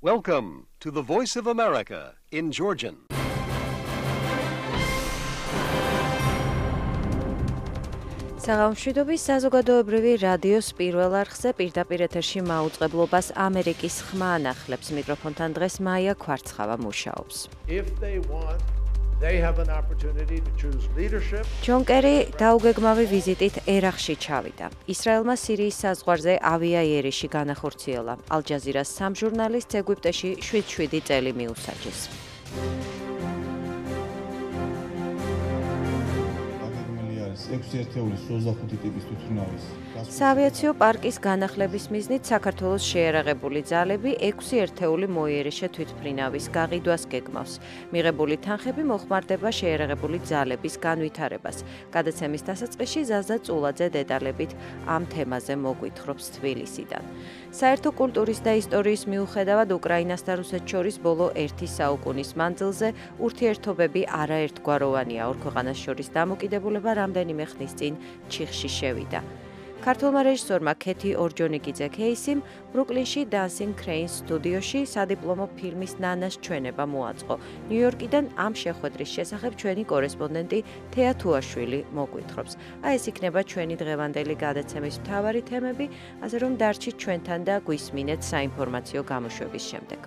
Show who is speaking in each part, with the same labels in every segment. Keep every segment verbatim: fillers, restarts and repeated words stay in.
Speaker 1: Welcome to the Voice of America in Georgian.
Speaker 2: საღამოშვიდობის საზოგადოებრივი რადიოს პირველ არხზე პირდაპირ ეთერში მაუწყებლობას ამერიკის ხმა ანახლებს. მიკროფონთან დღეს მაია ქვარცხავა მუშაობს. ჯონ კერი დაუგეგმავი ვიზიტით ერაყში ჩავიდა. ისრაელმა სირიის საზღვარზე ავიაიერიში განახორციელა. ალ-ჯაზირას სამ ჟურნალისტს ეგვიპტეში შვიდ შვიდი წელი მიუსაჯეს. საავიაციო პარკის განახლების მიზნით საქართველოს შეიარაღებული ძალები ექვსი ერთეული მოიერიშე თვითმფრინავის გაყიდვას გეგმავს. მიღებული თანხები მოხმარდება შეიარაღებული ძალების განვითარებას. გადაცემის დასაწყისში ზაზა წულაძე დეტალებით ამ თემაზე მოგვითხრობს თბილისიდან. საერთო კულტურის და ისტორიის მიუხედავად უკრაინას და რუსეთს შორის ბოლო ერთი საუკუნის მანძილზე ურთიერთობები არაერთგვაროვანია. ორ ქვეყანას შორის დამოკიდებულება რამდენიმე ხნის წინ ჩიხში შევიდა. ქართველმა რეჟისორმა ქეთი ორჯონიკიძე ქეისიმ ბრუკლინში Dancing Cranes სტუდიოში სადიპლომო ფილმის ნანას ჩვენება მოაწყო. ნიუ-იორკიდან ამ შეხვედრის შესახებ ჩვენი კორესპონდენტი თეა თუაშვილი მოგვითხრობს. აი ეს იქნება ჩვენი დღევანდელი გადაცემის მთავარი თემები, ასე რომ დარჩით ჩვენთან და გვისმინეთ საინფორმაციო გამოშვების შემდეგ.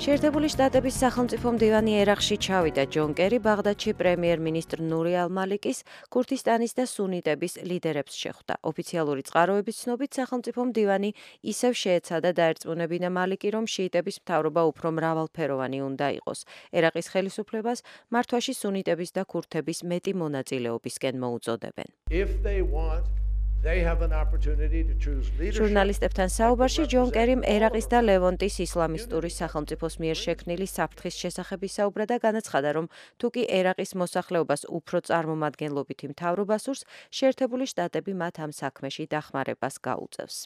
Speaker 2: შეერთებული შტატების სახელმწიფო მდივანი ერაყში ჩავიდა. ჯონ კერი ბაღდადში პრემიერ-მინისტრ ნური ალ-მალიკის, ქურთისტანის და სუნიტების ლიდერებს შეხვდა. ოფიციალური წყაროების ცნობით სახელმწიფო მდივანი ისევ შეეცადა დაერწმუნებინა მალიკი, რომ შიიტების მთავრობა უფრო მრავალფეროვანი უნდა იყოს. ერაყის ხელისუფლებას მართვაში სუნიტების და ქურთების მეტი მონაწილეობისკენ მოუწოდებენ. ჟურნალისტებთან საუბარში ჯონ კერიმ ერაყის და ლევონტის ისლამისტური სახელმწიფოს მიერ შექმნილი საფრთხის შესახებ ისაუბრა და განაცხადა, რომ თუკი ერაყის მოსახლეობას უფრო წარმომადგენლობითი მთავრობა სურს, შეერთებული შტატები მათ ამ საქმეში დახმარებას გაუწევს.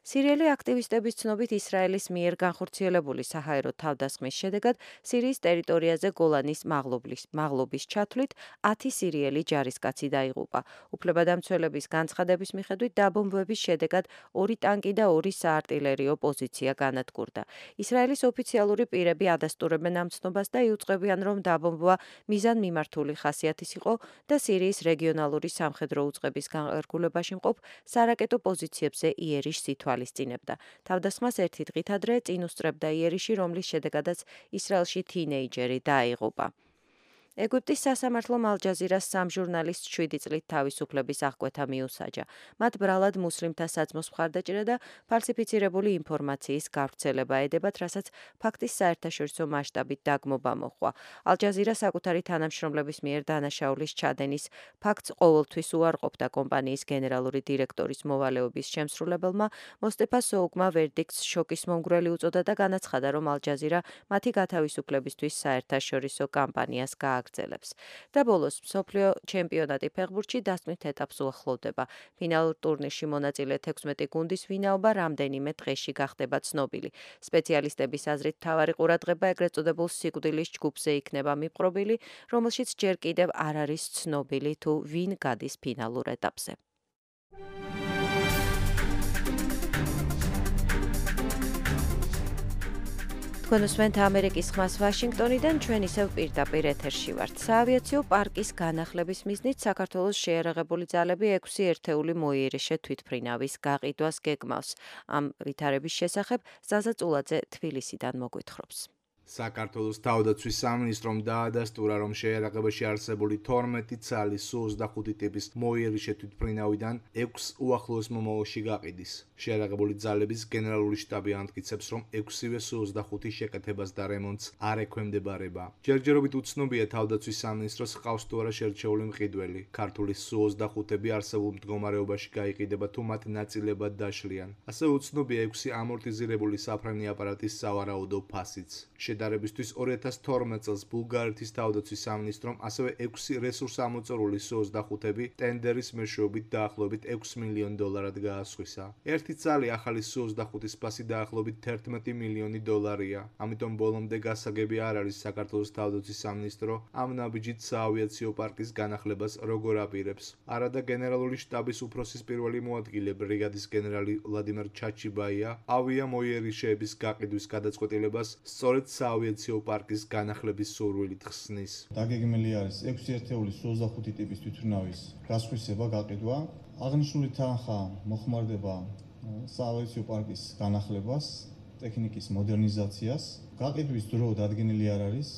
Speaker 2: სირიელი აქტივისტების ცნობით ისრაელის მიერ განხორციელებული საჰაერო თავდასხმის შედეგად სირიის ტერიტორიაზე გოლანის მაღლობის, მაღლობის ჩათვლით ათი სირიელი ჯარისკაცი დაიღუპა. უფლებადამცველების განცხადების მიხედვით დაბომბვების შედეგად ორი ტანკი და ორი საარტილერიო პოზიცია განადგურდა. ისრაელის ოფიციალური პირები ადასტურებენ ამ ცნობას და იუწყებიან, რომ დაბომბვა მიზანმიმართული ხასიათის იყო და სირიის რეგიონალური სამხედრო უწყების განხორციელებაში მყოფ სარაკეტო პოზიციებზე იერიშს ითვალისწინებდა. თავდასხმას ერთი დღით ადრე წინ უსწრებდა იერიში, რომლის შედეგადაც ისრაელში თინეიჯერი დაიღუპა. ეგვიპტის სასამართლომ ალ-ჯაზირას სამ ჟურნალისტს შვიდი წლით თავისუფლების აღკვეთა მიუსაჯა. მათ ბრალად მუსლიმთა საძმოს მხარდაჭერა და ფალსიფიცირებული ინფორმაციის გავრცელება ედებათ, რასაც ფაქტის საერთაშორისო მასშტაბით დაგმობა მოჰყვა. ალ-ჯაზირა საკუთარი თანამშრომლების მიერ დანაშაულის ჩადენის ფაქტს ყოველთვის უარყოფდა. კომპანიის გენერალური დირექტორის მოვალეობის შემსრულებელმა მოსტეფა სოუგმა ვერდიქტს შოკის მომგვრელი უწოდა და განაცხადა, რომ ალ-ჯაზირა მათი გათავისუფლებისთვის საერთაშორისო კამპანიას გააგრძელებს. და ბოლოს მსოფლიო ჩემპიონატი ფეხბურთში დასწვნით ეტაპს უახლოვდება. ფინალურ ტურნირში მონაწილე თექვსმეტი გუნდის ვინაობა რამდენიმე დღეში გახდება ცნობილი. სპეციალისტების აზრით მთავარი ყურადღება ეგრეთ წოდებულ სიკვდილის ჯგუფზე იქნება მიპყრობილი, რომელშიც ჯერ კიდევ არ არის ცნობილი თუ ვინ გადის ფინალურ ეტაპზე. თქვენ უსმენთ ამერიკის ხმას ვაშინგტონიდან, ჩვენ ისევ პირდაპირ ეთერში ვართ. საავიაციო პარკის განახლების მიზნით საქართველოს შეიარაღებული ძალები ექვსი ერთეული მოიერიშე თვითმფრინავის გაყიდვას გეგმავს. ამ ვითარების შესახებ ზაზა წულაძე თბილისიდან მოგვითხრობს.
Speaker 3: საქართველოს თავდაცვის სამინისტრომ დაადასტურა, რომ შეიარაღებაში არსებული თორმეტი ცალი სუ ოცდახუთი ტიპის მოიერიშე თვითმფრინავიდან ექვსს უახლოეს მომავალში გაყიდის. შეიარაღებული ძალების გენერალური შტაბი ამტკიცებს, რომ ექვსივე სუ ოცდახუთი შეკეთებას და რემონტს არ ექვემდებარება. ჯერჯერობით უცნობია თავდაცვის სამინისტროს ჰყავს თუ არა შერჩეული მყიდველი. ქართული სუ ოცდახუთები არსებულ მდგომარეობაში გაიყიდება თუ მათ ნაწილებად დაშლიან. ასევე უცნობია ექვსი ამორტიზირებული საფრენი აპარატის სავარაუდო ფასიც. შედარებისთვის ორი ათას თორმეტ წელს ბულგარეთის თავდაცვის სამინისტრომ ასევე ექვსი რესურსამოწურული სუ ოცდახუთები ტენდერის მეშვეობით დაახლოებით ექვს მილიონ დოლარად გაასხვისა. ერთი წალი ახალი სუ ოცდახუთის ფასი დაახლოებით თერთმეტი მილიონი დოლარია. ამიტომ ბოლომდე გასაგები არ არის საქართველოს თავდაცვის სამინისტრო ამ ნაბიჯით საავიაციო პარკის განახლებას როგორ აპირებს. არადა გენერალური შტაბის უფროსის პირველი მოადგილე ბრიგადის გენერალი ვლადიმერ ჩაჩიბაია ავიამოიერიშეების გაყიდვის გადაწყვეტილებას სწორედ საავიაციო პარკის განახლების სურვილით ხსნის.
Speaker 4: დაგეგმილი არის ექვსი ერთეული სუ ოცდახუთი ტიპის თვითმფრინავის გასხვისება, გაყიდვა. აღნიშნული თანხა მოხმარდება საავიაციო პარკის განახლებას, ტექნიკის მოდერნიზაციას. გაყიდვის დრო დადგენილი არ არის,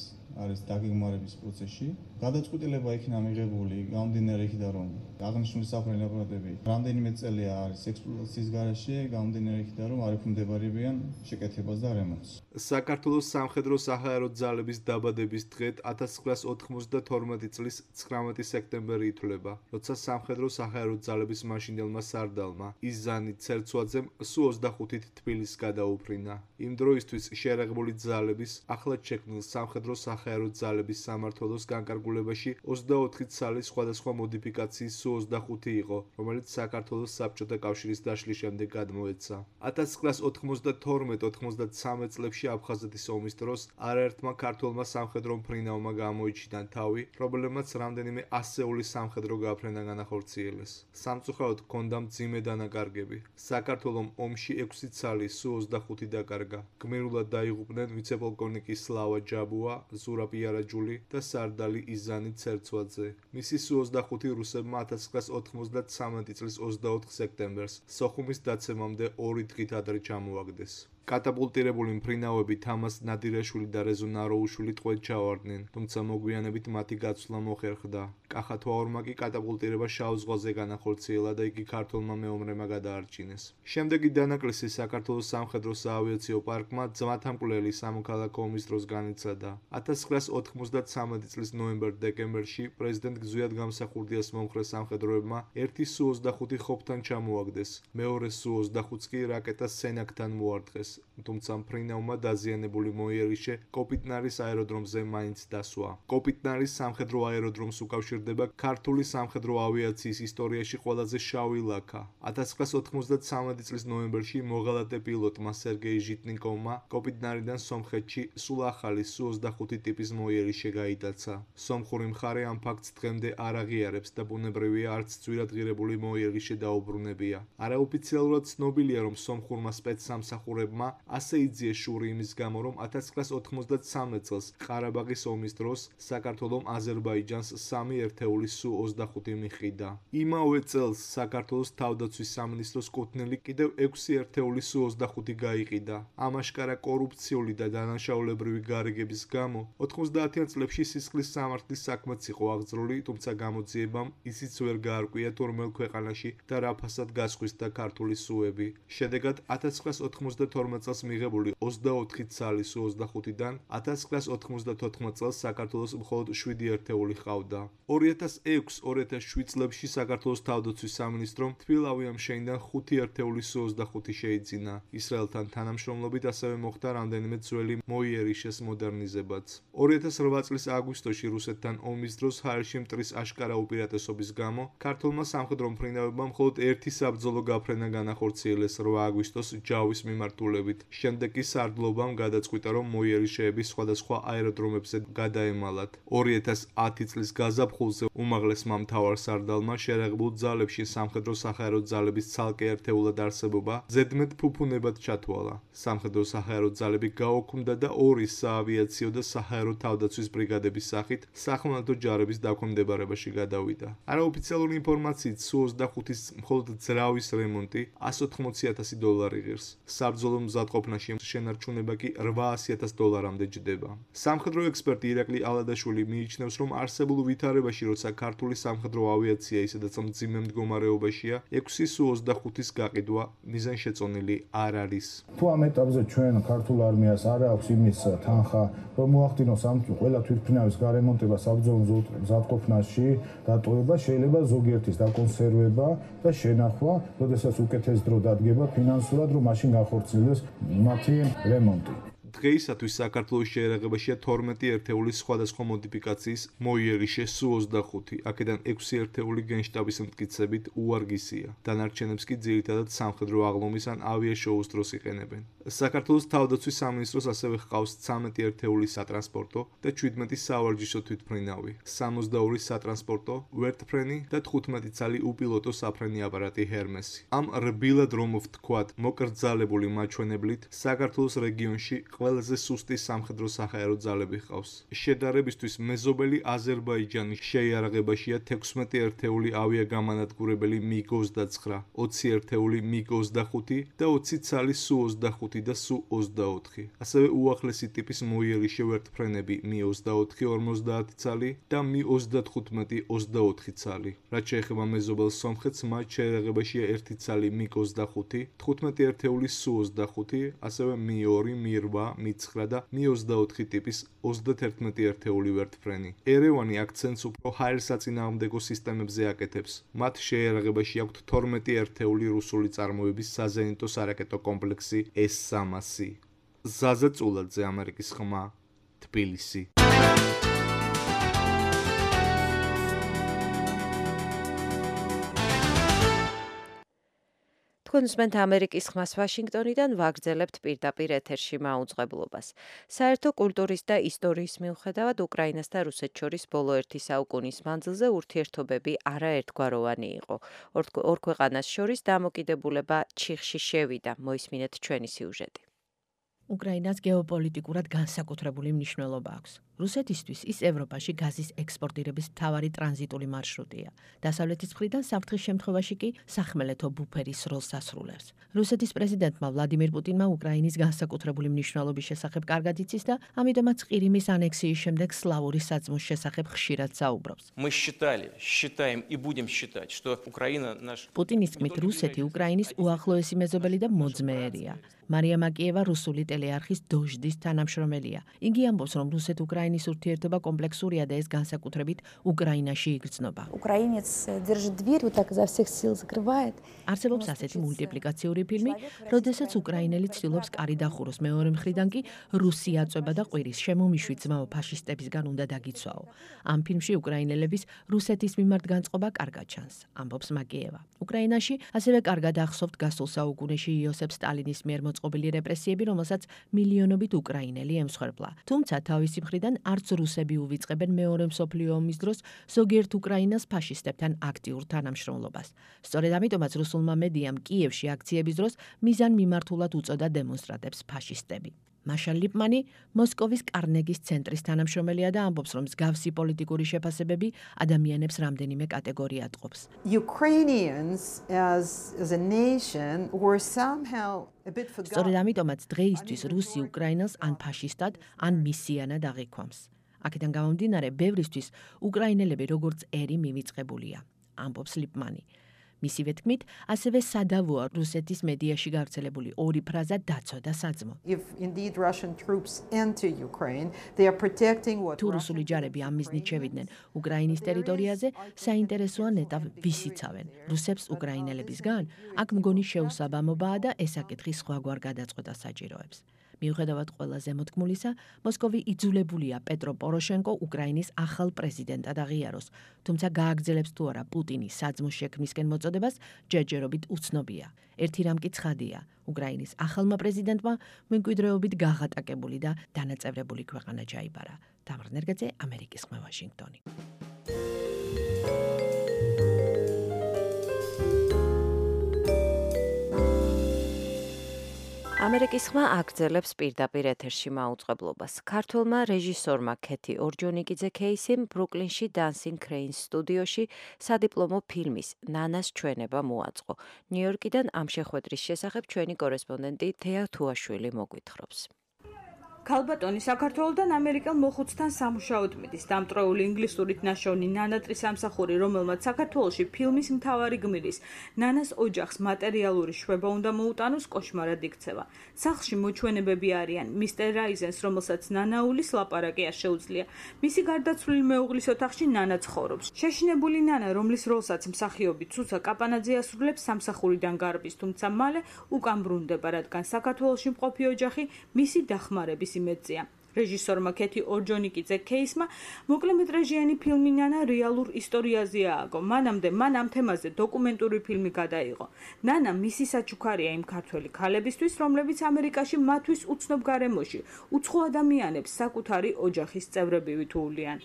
Speaker 4: არის დაგეგმარების პროცესში. გადაწყვეტილება იქნა მიღებული გამომდინარე იქიდან, რომ აღნიშნული საფრენი აპარატები რამდენიმე წელია არის ექსპლუატაციის გარეშე, გამომდინარე იქიდან, რომ არ ექვემდებარებიან შეკეთებას და რემონტს.
Speaker 3: საქართველოს სამხედრო-საჰაერო ძალების დაბადების დღედ ათას ცხრაას ოთხმოცდათორმეტი წლის ცხრამეტი სექტემბერი ითვლება, როცა სამხედრო-საჰაერო ძალების მაშინდელმა სარდალმა იზანი ცერცვაძემ სუ ოცდახუთით თბილისს გადაუფრინა. იმ დროისთვის შეერაღებული ძალების ახლად შექმნილ სამხედრო-საჰაერო ძალების სამმართველოს განკარგულებაში ოცდაოთხი ცალი სხვადასხვა მოდიფიკაციის სუ ოცდახუთი იყო, რომელიც საქართველოს საბჭოთა კავშირის დაშლის შემდეგ გადმოეცა. ათას ცხრაას ოთხმოცდათორმეტ ოთხმოცდათსამე წლებში აფხაზეთის ომის დროს არაერთმა ქართველმა სამხედრო მფრინავმა გამოიჩინა თავი, პრობლემაც რამდენიმე ასეული სამხედრო გაფრენა განახორციელეს. სამწუხაროდ ჰქონდა მძიმე დანაკარგები. საქართველომ ომში ექვსი ცალი სუ ოცდახუთი დაკარგა. გმირულად დაიღუპნენ ვიცე-პოლკოვნიკი სლავა ჯაბუა, ზურაბ იარაჯული და სარდალი იზანი ცერცვაძე. მისი სუ ოცდახუთი რუსებმა ათას ცხრაას ოთხმოცდათსამეტი წლის ოცდაოთხ სექტემბერს სოხუმის დაცემამდე ორი დღით ადრე ჩამოაგდეს. კატაპულტირებული მფრინავები თამაზ ნადირაშვილი და რეზო ნაროუშვილი ტყვედ ჩავარდნენ, თუმცა მოგვიანებით მათი გაცვლა მოხერხდა. კახა თვაურმა კი კატაპულტირება შავ ზღვაზე განახორციელა და იგი ქართველმა მეომრებმა გადაარჩინეს. შემდეგი დანაკლისი საქართველოს სამხედრო-საავიაციო პარკმა ძმათამკვლელი სამოქალაქო ომის დროს განიცადა. ათას ცხრაას ოთხმოცდათსამეტი წლის ნოემბერ-დეკემბერში პრეზიდენტ გზუიად გამსახურდიას მომხრე სამხედროებმა ერთი სუ ოცდახუთი ხობთან ჩამოაგდეს. მეორე სუ ოცდახუთს კი რაკეტა სენაკთან მოარტყეს. თუმცა მფრინავმა დაზიანებული მოიერიშე კოპიტნარის აეროდრომზე მაინც დასვა. კოპიტნარის სამხედრო აეროდრომს უკავშირდება ქართული სამხედრო ავიაციის ისტორიაში ყველაზე შავი ლაქა. ათას ცხრაას ოთხმოცდათსამეტი წლის ნოემბერში მოღალატე პილოტმა სერგეი ჟიტნიკოვმა კოპიტნარიდან სომხეთში სულ ახალი სუ ოცდახუთი ტიპის მოიერიშე გაიტაცა. სომხური მხარე ამ ფაქტს დღემდე არ აღიარებს და ბუნებრივია არც ძვირადღირებული მოიერიშე დაუბრუნებია. არაოფიციალურად ცნობილია, რომ სომხურმა სპეცსამსახურებმა ასე იძიეს შური იმის გამო, რომ ათას ცხრაას ოთხმოცდათსამეტ წელს ყარაბაღის ომის დროს საქართველომ აზერბაიჯანს სამი ერთეული სუ ოცდახუთი მიჰყიდა. იმავე წელს საქართველოს თავდაცვის სამინისტროს კუთვნილი კიდევ ექვსი ერთეული სუ ოცდახუთი გაიყიდა. ამაშკარა კორუფციული და დანაშაულებრივი გარიგების გამო ოთხმოცდაათიან წლებში სისხლის სამართლის საქმეც იყო აღძრული, თუმცა გამოძიებამ ისიც ვერ გაარკვია თუ რომელ ქვეყანაში და რა ფასად გასხვისდა ქართული სუები. შედეგად ათას ცხრაას ოთხმოცდათორმეტ წელს მიღებული ოცდაოთხი ცალი სუ ოცდახუთიდან ათას ცხრაას ოთხმოცდათოთხმეტ წელს საქართველოს მხოლოდ შვიდი ერთეული ჰყავდა. ორი ათას ექვს ორი ათას შვიდ წლებში საქართველოს თავდაცვის სამინისტრომ თბილავი ამშენიდან ხუთი ერთეული სუ ოცდახუთი შეიძინა. ისრაელთან თანამშრომლობით ასევე მოხდა რამდენიმე ძველი მოიერიშეს მოდერნიზებაც. ორი ათას რვა წლის აგვისტოში რუსეთთან ომის დროს ჰაერში მტრის აშკარა უპირატესობის გამო ქართულმა სამხედრო მფრინავებმა მხოლოდ ერთი საბრძოლო გაფრენა განახორციელეს რვა აგვისტოს ჯავის მიმართულებით. შემდეგ კი სარდლობამ გადაწყვიტა, რომ მოიერიშეები სხვადასხვა აეროდრომებზე გადაემალათ. ორი ათას ათი წლის გაზაფხულზე უმაღლესმა მთავარ სარდალმა შეერაღებულ ძალებში სამხედრო-საჰაერო ძალების ცალკე ერთეულად არსებობა ზედმეტ ფუფუნებად ჩათვალა. სამხედრო-საჰაერო ძალები გაოქმდა და ორი საავიაციო და საჰაერო თავდაცვის ბრიგადების სახით სახმელეთო ჯარების დაქვემდებარებაში გადავიდა. არაოფიციალური ინფორმაციით სუ ოცდახუთის მხოლოდ ძრავის რემონტი ასი ოცდაოთხი ათასი დოლარი ღირს. საბრძოლო მზადყოფნაში შენარჩუნება კი რვაასი ათას დოლარამდე ჯდება. სამხედრო ექსპერტი ირაკლი ალადაშვილი მიიჩნევს, რომ არსებულ ვითარებაში, როცა ქართული სამხედრო ავიაცია ისედაც მძიმე მდგომარეობაშია, ექვსი სუ ოცდახუთის გაყიდვა მიზანშეწონილი არ არის.
Speaker 5: თუ ამ ეტაპზე ჩვენ ქართულ არმიას არ აქვს იმის თანხა, რომ მოახდინოს ამ ყველა თვითმფრინავის გარემონტება საბრძოლო მზადყოფნაში, დატოვება, შეიძლება ზოგიერთის დაკონსერვება და შენახვა, როდესაც უკეთეს დრო დადგება ფინანსურად, რომ მაშინ განხორციელდეს მათი რემონტი.
Speaker 3: დღეისათვის საქართველოს შეერაღებაშია თორმეტი ერთეული სხვადასხვა მოდიფიკაციის მოიერიშე სუ ოცდახუთი, აქედან ექვსი ერთეული გენშტაბის მტკიცებით უვარგისია. დანარჩენებს კი ძირითადად სამხედრო აღლომის ან ავიაშოუს დროს იყენებენ. საქართველოს თავდაცვის სამინისტროს ასევე ჰყავს ცამეტი ერთეული სატრანსპორტო და შვიდმეტი სავარჯიშო თვითმფრინავი, სამოცდაორი სატრანსპორტო ვერტფრენი და თხუთმეტი ცალი უპილოტო საფრენი აპარატი ჰერმესი. ამ რბილად რომ ვთქვათ, მოკრძალებული მაჩვენებლით საქართველოს რეგიონში ყველაზე სუსტი სამხედრო საჰაერო ძალები ჰყავს. შედარებისთვის მეზობელი აზერბაიჯანის შეიარაღებაშია თექვსმეტი ერთეული ავიაგამანადგურებელი მიგ ოცდაცხრა, ოცი ერთეული მიგ ოცდახუთი და ოცი ცალი სუ ოცდახუთი და სუ ოცდაოთხი. ასევე უახლესი ტიპის მოიერიშე ვერტფრენები მი ოცდაოთხი ორმოცდაათი ცალი და მი ოცდათხუთმეტი ოცდაოთხი ცალი. რაც შეეხება მეზობელ სომხეთს, მათ შეიარაღებაშია ერთი ცალი მიგ ოცდახუთი, თხუთმეტი ერთეული სუ ოცდახუთი, ასევე მი ორი, მი რვა, მი ცხრა და მი ოცდაოთხი ტიპის ოცდათერთმეტი ერთეული ვერტფრენი. ერევანი აქცენტს უფრო ჰაერსაწინააღმდეგო სისტემებზე აკეთებს. მათ შეიარაღებაში აქვთ თორმეტი ერთეული რუსული წარმოების საზენიტო სარაკეტო კომპლექსი ეს სამასი. ზაზა წულაძე, ამერიკის ხმა, თბილისი.
Speaker 2: თქვენ უსმენთ ამერიკის ხმას ვაშინგტონიდან, ვაგრძელებთ პირდაპირ ეთერში მაუწყებლობას. საერთო კულტურის და ისტორიის მიუხედავად, უკრაინას და რუსეთს შორის ბოლო ერთი საუკუნის მანძილზე ურთიერთობები არაერთგვაროვანი იყო. ორ ქვეყანას შორის დამოკიდებულება ჩიხში შევიდა. მოისმინეთ ჩვენი სიუჟეტი.
Speaker 6: უკრაინას გეოპოლიტიკურად განსაკუთრებული მნიშვნელობა აქვს. რუსეთისთვის ის ევროპაში გაზის ექსპორტირების მთავარი ტრანზიტული მარშრუტია. დასავლეთის მხრიდან საფრთხის შემთხვევაში კი სახმელეთო ბუფერის როლს ასრულებს. რუსეთის პრეზიდენტმა ვლადიმირ პუტინმა უკრაინის განსაკუთრებული მნიშვნელობის შესახებ კარგად იცის და ამიტომაც ყირიმის ანექსიის შემდეგ სლავური საძმოს შესახებ ხშირად საუბრობს.
Speaker 7: Мы считали, считаем и будем считать, что Украина наш
Speaker 6: პუტინის თქმით, რუსეთი უკრაინის უახლოესი მეზობელი და მოძმეერია. მარია მაკიევა რუსული ტელეარხის დოჟდის თანამშრომელია. იგი ამბობს, რომ რუსეთ-უკრაინის ურთიერთობა კომპლექსურია და ეს განსაკუთრებით უკრაინაში იგრძნობა.
Speaker 8: Украинец держит дверь, вот так изо всех сил закрывает.
Speaker 6: არსებობს ასეთი მულტიპლიკაციური ფილმი, როდესაც უკრაინელი ცდილობს კარი დახუროს, მეორე მხრიდან კი რუსი აწვება და ყვირის შემომიშვი ძმაო ფაშისტებისგან უნდა დაგიცვაო. ამ ფილმში უკრაინელების რუსეთის მიმართ განწყობა კარგად ჩანს, ამბობს მაკიევა. უკრაინაში ასევე კარგად ახსოვთ გასულ საუკუნეში იოსებ სტალინის მიერ მოწყობილი რეპრესიები, რომელსაც მილიონობით უკრაინელი ემსხვერპლა. თუმცა თავისი მხრიდან არც რუსები უვიწყებენ მეორე მსოფლიო ომის დროს ზოგიერთ უკრაინას ფაშისტებთან აქტიურ თანამშრომლობას. სწორედ ამიტომაც რუსულმა მედიამ კიევში აქციების დროს მიზან მიმართულად უწოდა დემონსტრანტებს ფაშისტები. მაშა ლიპმანი მოსკოვის კარნეგის ცენტრის თანამშრომელია და ამბობს, რომ მსგავსი პოლიტიკური შეფასებები ადამიანებს რამდენიმე კატეგორიად ყოფს.
Speaker 9: Ukrainians as as a nation were somehow a bit forgotten.
Speaker 6: სწორედ ამიტომაც დღეისთვის რუსი უკრაინას ან ფაშისტად, ან მისიანად აღიქვამს. აქედან გამომდინარე, ბევრისთვის უკრაინელები როგორც ერი მივიწყებულია, ამბობს ლიპმანი. მისივე თქმით, ასევე სადავოა რუსეთის მედიაში გავრცელებული ორი ფრაზა დაცვა და საძმო.
Speaker 9: If indeed Russian troops enter Ukraine, they are protecting what
Speaker 6: თუ რუსული ჯარები ამ მიზნით შევიდნენ უკრაინის ტერიტორიაზე, საინტერესოა ნეტავ ვის იცავენ, რუსებს უკრაინელებისგან? აქ მგონი შეუსაბამობაა და ეს საკითხი სხვაგვარ გადაწყვეტას საჭიროებს. მიუხედავად ყველა ზემოთქმულისა, მოსკოვი იძულებულია პეტრო პოროშენკო უკრაინის ახალ პრეზიდენტად აღიაროს, თუმცა გააგრძელებს თუ არა პუტინის საძმოს შექმნისკენ მოწოდებას, ჯერჯერობით უცნობია. ერთი რამ კი ცხადია, უკრაინის ახალმა პრეზიდენტმა მემკვიდრეობით გაღატაკებული და დანაწევრებული ქვეყანა ჩაიბარა. თამარ ნერგაძე, ამერიკის ხმა, ვაშინგტონი.
Speaker 2: ამერიკის ხმა აგრძელებს პირდაპირ ეთერში მაუწყებლობას. ქართველმა რეჟისორმა ქეთი ორჯონიკიძე ქეისიმ ბრუკლინში Dancing Cranes სტუდიოში სადიპლომო ფილმის ნანას ჩვენება მოაწყო. ნიუ-იორკიდან ამ შეხვედრის შესახებ ჩვენი კორესპონდენტი თეა თუაშვილი მოგვითხრობს.
Speaker 10: ქალბატონი საქართველოდან ამერიკელ მოხუცთან სამუშაოდ მიდის. დამტვრეული ინგლისურით ნაშოვნი ნანატრის სამსახური, რომელმაც საქართველოში ფილმის მთავარი გმირის ნანას ოჯახს მატერიალური შვება უნდა მოუტანოს, კოშმარად იქცევა. სახლში მოჩვენებები არიან მისტერ რაიზენს, რომელსაც ნანაულის ლაპარაკი არ შეუძლია. მისი გარდაცვლილი მეუღლის ოთახში ნანა ცხოვრობს. შეშინებული ნანა, რომლის როლსაც მსახიობი ცუცა კაპანაძე ასრულებს, სამსახურიდან გარბის, თუმცა მალე უკან ბრუნდება, რადგან საქართველოში მყოფი ოჯახი მისი დახმარების იმედზეა. რეჟისორმა ქეთი ორჯონიკიძე კეისმა მოკლემეტრაჟიანი ფილმი ნანა რეალურ ისტორიაზე ააგო. მანამდე მან ამ თემაზე დოკუმენტური ფილმი გადაიღო. ნანა მისი საჩუქარია იმ ქართველი ქალებისთვის, რომლებიც ამერიკაში მათთვის უცნობ გარემოში უცხო ადამიანებს საკუთარი ოჯახის წევრები ვითუვლიან.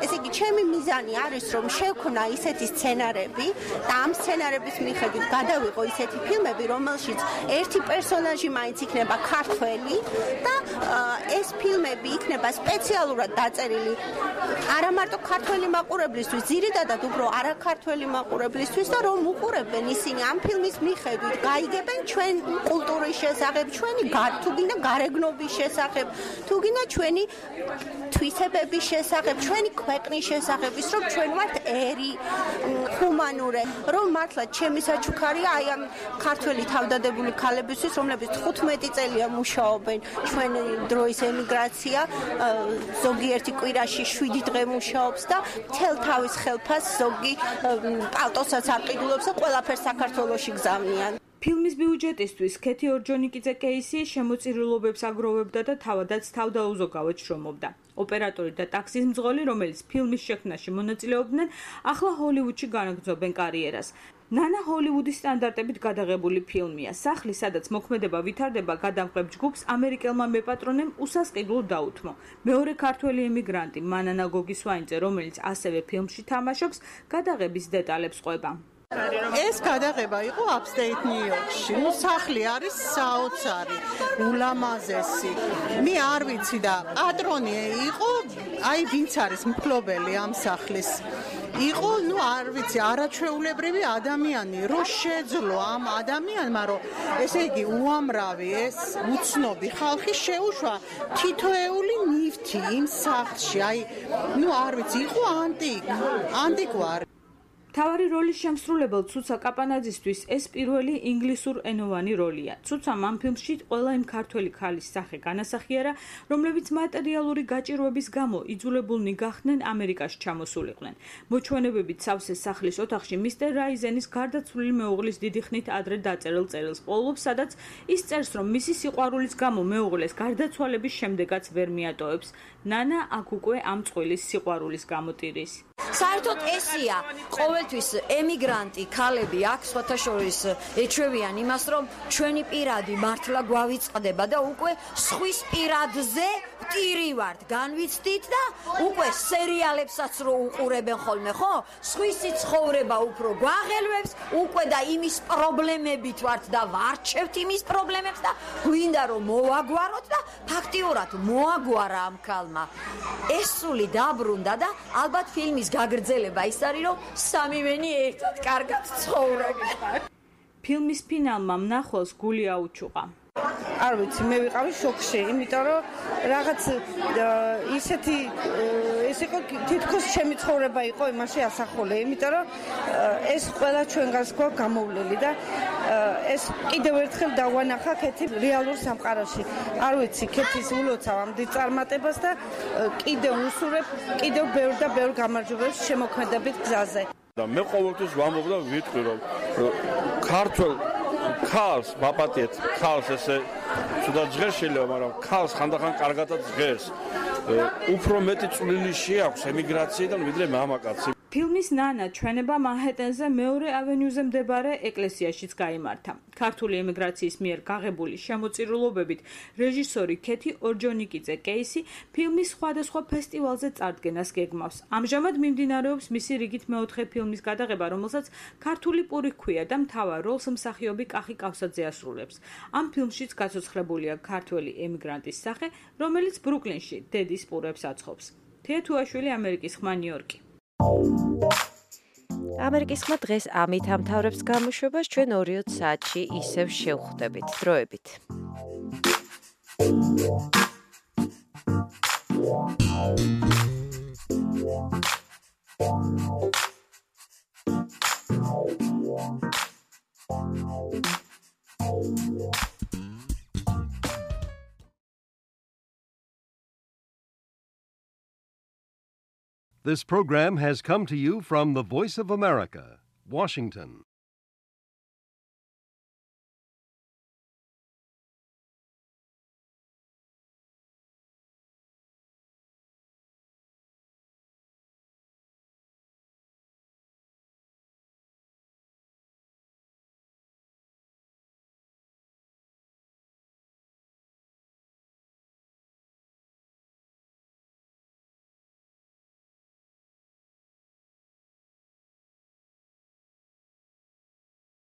Speaker 11: ესე იგი, ჩემი მიზანი არის, რომ შევქნა ისეთი სცენარები და ამ სცენარების მიხედვით გადავიღო ისეთი ფილმები, რომელშიც ერთი პერსონაჟი მაინც იქნება ქართველი და ეს ფილმები იქნება სპეციალურად დაწერილი არა მარტო ქართველი მაყურებლისთვის, ძირითადად უფრო არაქართველი მაყურებლისთვის და რომ უყურებენ ისინი ამ ფილმის მიხედვით, გაიგებენ ჩვენ კულტურის შესახებ, ჩვენი თუ გინდა გარეგნობის შესახებ, თუ გინდა ჩვენი თვისებების შესახებ, ჩვენი ქვეყნის შესახების, რომ ჩვენ ვართ ერი, ჰუმანური, რომ მართლა ჩემი საჩუქარია აი ამ ქართველი თავდადებული ქალებისთვის, რომლებიც თხუთმეტი წელია მუშაობენ ჩვენი დროის ემიგრაცია, ზოგიერთი კვირაში შვიდი დღე მუშაობს და მთელ თავის ხელფას ზოგი პალტოსაც არ ყიდულობს და ყველაფერს საქართველოში გზავნიან.
Speaker 10: ფილმის ბიუჯეტისთვის ქეთი ორჯონიკიძე კეისი შემოწირულობებს აგროვებდა და თავადაც თავდაუზოგავად შრომობდა. ოპერატორი და ტაქსის მძღოლი, რომელიც ფილმის შექმნაში მონაწილეობდნენ, ახლა ჰოლივუდში განაგრძობენ კარიერას. ნანა ჰოლივუდის სტანდარტებით გადაღებული ფილმია. სახლი, სადაც მოქმედება ვითარდება, გადამღებ ჯგუფს ამერიკელმა მეპატრონემ უსასყიდლო დაუთმო. მეორე ქართველი ემიგრანტი მანანა გოგისვაინძე, რომელიც ასევე ფილმში თამაშობს, გადაღების დეტალებს ყვება.
Speaker 12: ეს გადაღება იყო upstate New Yorkში. ნუ სახლი არის საოცარი, ულამაზესი. მე არ ვიცი და პატრონი იყო, აი ვინც არის მფლობელი ამ სახლის. იყო, ნუ არ ვიცი, არაჩვეულებრივი ადამიანი, რო შეძლო ამ ადამიანმა, რომ ესე იგი უამრავი ეს უცნობი ხალხი შეუშვა თითოეული ნივთი იმ სახლში. აი, ნუ არ ვიცი, იყო ანტიკ, ანტიკვარი.
Speaker 10: თავარი როლის შემსრულებელ ცუცა კაპანაძისთვის ეს პირველი ინგლისურ ენოვანი როლია. ცუცამ ამ ფილმში ყველა იმ ქართველი ქალის სახე განასახიერა, რომლებიც მატერიალური გაჭირვების გამო იძულებულნი გახდნენ ამერიკაში ჩამოსულიყვნენ. მოჩვენებებით სავსე სახლის ოთახში მისტერ რაიზენის გარდაცვლილი მეუღლის დიდი ხნით ადრე დაწერილ წერილს პოულობს, სადაც ის წერს, რომ მისი სიყვარულის გამო მეუღლეს გარდაცვალების შემდეგაც ვერ მიატოვებს. ნანა აქ უკვე ამ წყვილის სიყვარულის გამოტირის.
Speaker 13: საერთოდ ესია ყოველთვის ემიგრანტი ქალები აქ სხვათა შორის ეჩვევიან იმას, რომ ჩვენი პირადი მართლა გვავიწყდება და უკვე სხვის პირადზე ვტირი ვართ, განვიცდით და უკვე სერიალებსაც რო უყურებენ ხოლმე, ხო? სხვისი ცხოვრება უფრო გვაღელვებს, უკვე და იმის პრობლემებით ვართ და ვარჩევთ იმის პრობლემებს და გვინდა რომ მოვაგვაროთ და ფაქტიურად მოაგვარა ამ ქალმა. ეს სული დაბრუნდა და ალბათ ფილმის გაგრძელება ის არის, რომ სამივენი ერთად კარგად ცხოვრობენ.
Speaker 10: ფილმის ფინალმა მნახველს გული აუჩუყა.
Speaker 14: არ ვიცი, მე ვიყავი შოკში, იმიტომ რომ რაღაც ისეთი ეს იყო თითქოს ჩემი ცხოვრება იყო იმაში ასახული, იმიტომ რომ ეს ყველა ჩვენგანს გვაქვს გამოვლილი და ეს კიდევ ერთხელ დავანახა ქეთი რეალურ სამყაროში. არ ვიცი, ქეთის ულოცავ ამ დიდ წარმატებას და კიდევ უსურებ, კიდევ ბევრ და ბევრ გამარჯვებებს შემოქმედებით გზაზე.
Speaker 15: და მე ყოველთვის ვამბობ და ვიტყვი, რომ ქართულ ქალს ვაპატიეთ, ქალს ესე თუნდაც ჟღერს შეიძლება, მაგრამ ქალს ხანდახან კარგადაც ჟღერს. უფრო მეტი წვლილი შეაქვს ემიგრაციიდან ვიდრე მამაკაცი.
Speaker 10: ფილმის ნანა ჩვენება მანჰეტენზე მეორე ავენიუზე მდებარე ეკლესიაშიც გაიმართა. ქართული ემიგრაციის მიერ გაღებული შემოწირულობებით რეჟისორი ქეთი ორჯონიკიძე კეისი ფილმის სხვადასხვა ფესტივალზე წარდგენას გეგმავს. ამჟამად მიმდინარეობს მისი რიგით მეოთხე ფილმის გადაღება, რომელსაც ქართული პური ჰქვია და მთავარ როლს მსახიობი კახი კავსაძე ასრულებს. ამ ფილმშიც გაცოცხლებულია ქართველი ემიგრანტის სახე, რომელიც ბრუკლინში დედის პურებს აცხობს. თეა თუაშვილი, ამერიკის ხმა, ნიუ-იორკი.
Speaker 2: ამერიკის ხმა დღეს ამით ამთავრებს გამოშვებას, ჩვენ ორი საათში ისევ შევხვდებით. დროებით.
Speaker 1: This program has come to you from the Voice of America, Washington.